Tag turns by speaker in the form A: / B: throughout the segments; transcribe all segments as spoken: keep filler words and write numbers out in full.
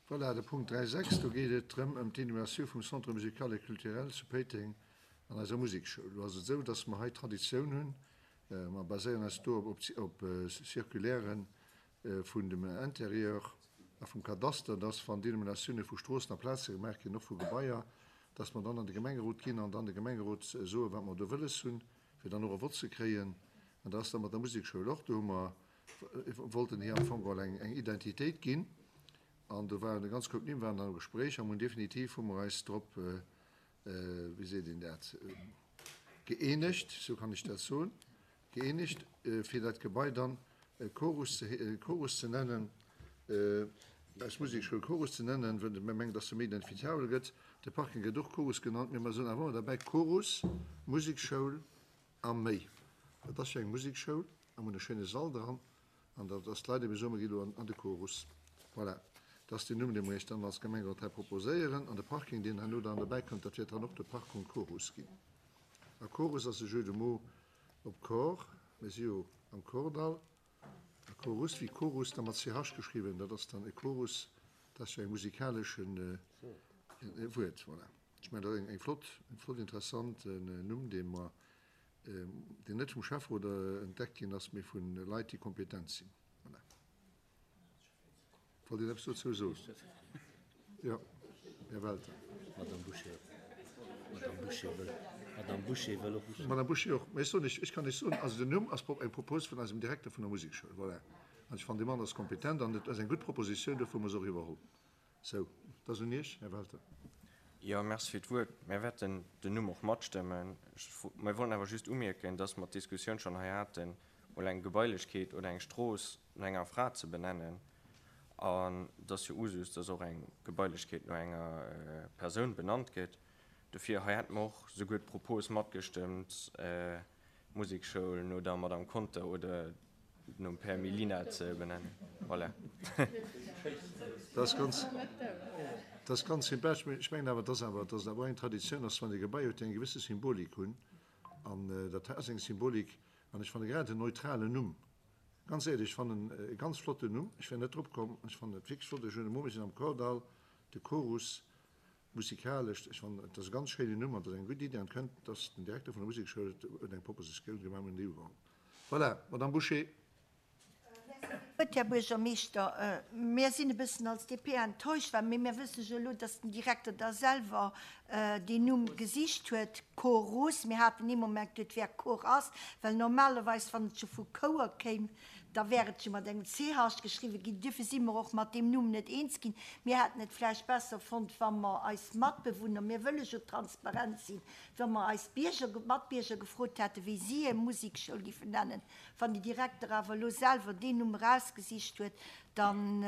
A: Voilà, de Punkt dräi sechs, do geet et drëm ëm d'Inhumatioun vum Centre musical et culturel zu Péiteng an eiser Musekschoul. Do ass et esou, dass mer hei Traditioun hunn. Mer baséieren eis do op, op Circulairen vun dem Intérieur a vum Kadaster, dass, wann Dénominatioune vu Stroossen a Plaze gemaach ginn, och vu Gebaier, dass mer dann an de Gemengerot ginn an dann de Gemengerot soen, wat mer do wëlles hunn, fir dann och e Vott ze kréien. An dat ass da mat der Musekschoul och. Do hu mer, wollten hir am Fong geholl eng, eng Identitéit ginn. An do waren e ganz Koup Nimm waren dann am Gespréich a mun definitiv hu mer eis drop, wéi seet een dat, gëeenegt, sou kann ech dat soen, gëeenegt, fir dat Gebai dann Chorus ze, Chorus ze nennen, eis Musekschoul Chorus ze nennen, well mir mengen, dass se méi identifiziabel gëtt. De Parking gëtt och Chorus genannt, mee mer soen awer ëmmer derbäi Chorus, Musekschoul a méi. Dat ass jo eng Musekschoul a mer hunn e schéine Sall dran. An dat ass d'Leit ebe soen, mer gi lo an de Chorus. Voilà, dat ass deen Numm, dee mer Iech dann als Gemengerot hei proposéieren. An de Parking, deen herno dann derbäi kënnt, dat wäert dann och de Parkung Chorus ginn. A Chorus ass e Jeu de mots op Corps. Mir si jo am Kordall. A Chorus wéi Chorus da mat C H geschriwwen, dat ass dann e Chorus, dat ass jo eng musikaleschen Wuert. Voilà. Ech mengen, dat ass eng flott, e flott interessant Numm, dee mer, deen net vum Schäfferot entdeckt ginn ass, mee vu Leit, déi kompetent sinn. Voilà. Wollt Dir eppes dozou soen? Jo, Här Welter.
B: Madame Boucher. Madame Boucher wëll, Madame Boucher wëll och.
A: Madame Boucher och. Mä ech soen, ech kann lech soen, also den Numm ass eng Propos vun eisem Direkter vun der Musekschoul. Voilà. An ech fannen, dee Mann ass kompetent an et ass eng gutt Propositioun, dofir hu mer se och iwwerholl. Sou, et ass un Iech, Här Welter.
C: Jo, merci fir d'Wuert. Mir wäerten den Numm och matstëmmen. Mir wollten awer just umierken, dass mer d'Diskussioun schonn hei haten, mol eng Gebailechkeet oder eng Strooss no enger Fra ze benennen. An et ass jo Usus, dass och eng Gebailechkeet no enger Persoun benannt gëtt. Dofir hei hätte mer och souguer d'Propos matgestëmmt, d'Musekschoul no der Madame Conter oder nom Père Melina ze benennen. Voilà.
A: Dat ass ganz, dat ass ganz sympathesch. Mee ech mengen awer, dass awer, dass et awer och eng Traditioun ass, wann ee Gebai huet, déi eng gewësse Symbolik hunn. An dat hei ass eng Symbolik. An ech fanne grad en neutralen Numm, ganz éierlech, ech fannen e ganz flotten Numm. Ech wär net drop komm. Ech fannen et wierklech flott. Ech hunn e Mumm, mir sinn am Kordall, de Chorus, musikalesch. Ech fannen, et ass e ganz schéinen Numm an et ass eng gutt Iddi. An et kënnt, dass den Direkter vun der Musekschoul huet eng Propositioun gemaach, mir hunn déi ugeholl. Voilà, Madame Bouché.
D: Gutt, Här Buergermeeschter, mir sinn e bëssen als D P enttäuscht, well mir wësse jo elo, dass den Direkter da selwer deen Numm gesicht huet, Chorus. Mir haten ee Moment geduet, et wär Chor ass, well normalerweis, wann et jo vu Chouer kéim, da wär et jo mat engem C H geschriwwen ginn. Duerfir si mer och mat deem Numm net eens ginn. Mir hätten et vläicht besser fonnt, wa mer eis Matbewunner, mir wëlle jo transparent sinn, wa mer eis Bierger, Matbierger gefrot hätten, wéi si hir Musekschoul giffen nennen. Wann de Direkter awer elo selwer deen Numm erausgesicht huet, dann,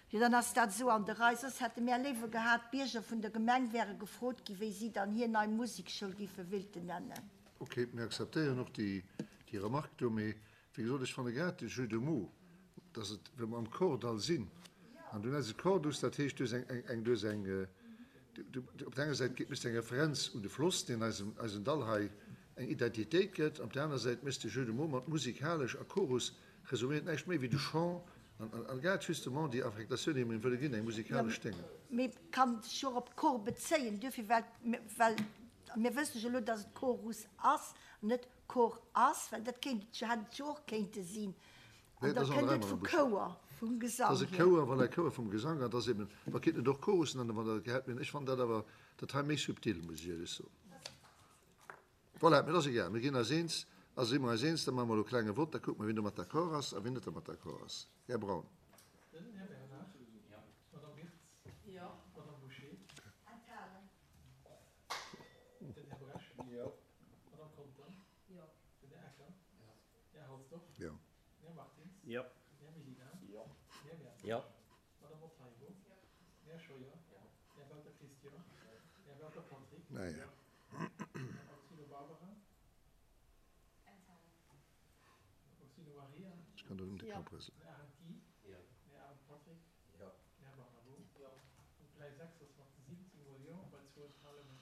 D: jo, dann ass dat esou an der Rei. Soss hätte mir léiwer gehat, d'Bierger vun der Gemeng wäre gefrot ginn, wéi si dann hir nei Musekschoul giffe wéilten nennen.
A: Ok, mir akzeptéieren och déi, déi Remarque do, mee wéi gesot, ech fanne grad de Jeu de mots, dass et, wa mer am Kordall sinn, an du nenns et Kordus, dat heescht, du hues eng, eng, eng, du hues eng, du, du, op der enger Säit méchs de eng Referenz un de Floss, deen eisem, eisem Dall hei eng Identitéit gëtt, op der aner Säit méchs de Jeu de mots mat musikalesch a Chorus, resuméiert näischt méi wéi de Chant an, an, an grad justement déi Affektatioun, déi mer him wëlle ginn, eng
D: Jo,
A: musikalesch Dénge.
D: Mee kann sech och op Chor bezéien, duerfir, well, well mir wësse jo elo, dass et Chorus ass, net Chor ass, well dat kéint et jo, hätt et jo och kéinte sinn.
A: Nee,
D: An
A: dat
D: da
A: ass an
D: kënnt
A: der
D: et vu
A: Madame Bouché.
D: Chouer, vum
A: Dat
D: Gesang
A: ass e
D: hier.
A: Chouer, voilà, e Chouer vum Gesang, an dat ass eben, mer kéinten et och Chorus nennen, wann dat gehätt, mee ech fannen dat awer dat hei méi subtil, muss ech éierlech soen. Voilà, mee dat ass egal, mir ginn eis eens, also si mer eis eens, da maache mer elo e klenge Vott, da kucke mer, wien domat d'accord ass a wien net domat d'accord ass. Här Braun.
E: Den Här Bernard. Madame Wirtz. Madame Bouché.
D: Enthalen.
E: Den Här Bresch. Madame Conter. Den Här Ecker. Här Halsdorf.
A: Jo.
E: Här Martins.
B: Jo.
E: Här Melina. Här Werner.
B: Jo.
E: Madame Montalvo. Här Scheuer. Här Welter Christian. Här Welter Patrick.
A: Naja.
E: Madame Oxino Barbara. Oxino Maria.
A: Ech kann dat ëm de Kapp rëselen.
E: Här Arendt Guy. Här Arendt Patrick. Här Barnabo. Und dräi sechs ass mat siwwenzéng mol Jo bei zwou Enthalungen.